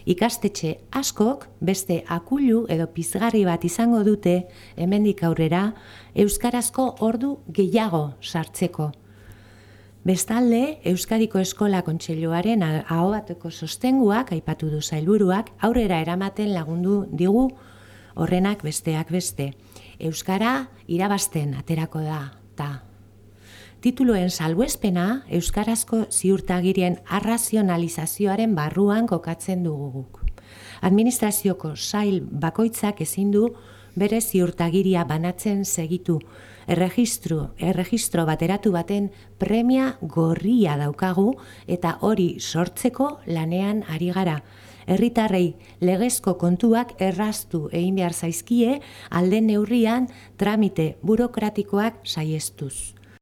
Ikastetxe askok beste akulu edo pizgarri bat izango dute hemendik aurrera euskarazko ordu gehiago sartzeko. Bestalde, Euskadiko Eskola Kontseiluaren ahobateko sostenguak aipatu du sailburuak aurrera eramaten lagundu digu horrenak besteak beste. Euskara irabazten aterako da. Tituluen salbuespena euskarazko ziurtagirien arrazionalizazioaren barruan kokatzen dugu guk. Administrazioko sail bakoitzak ezin du bere ziurtagiria banatzen segitu. Erregistro bateratu baten premia gorria daukagu eta hori sortzeko lanean ari gara. Herritarrei legezko kontuak erraztu egin behar zaizkie alde neurrian tramite burokratikoak saihestuz.